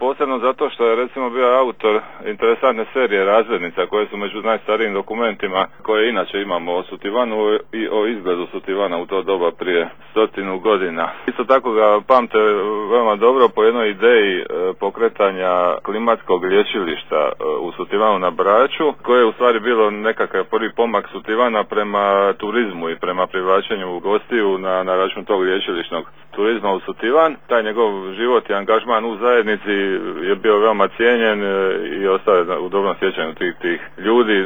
posebno zato što je recimo bio autor interesantne serije razglednica koje su među najstarijim dokumentima koje inače imamo o Sutivanu i o izgledu Sutivana u to doba prije 100 godina. Isto tako ga pamte veoma dobro po jednoj ideji pokretanja klimatskog lječilišta u Sutivanu na Braču, koje je u stvari bilo nekakav prvi pomak Sutivana prema turizmu i prema privlačenju gostiju na račun tog lječilišnog turizma u Sutivan. Taj njegov život i angažman u zajednici je bio veoma cijenjen i ostao je u dobrom sjećanju tih ljudi.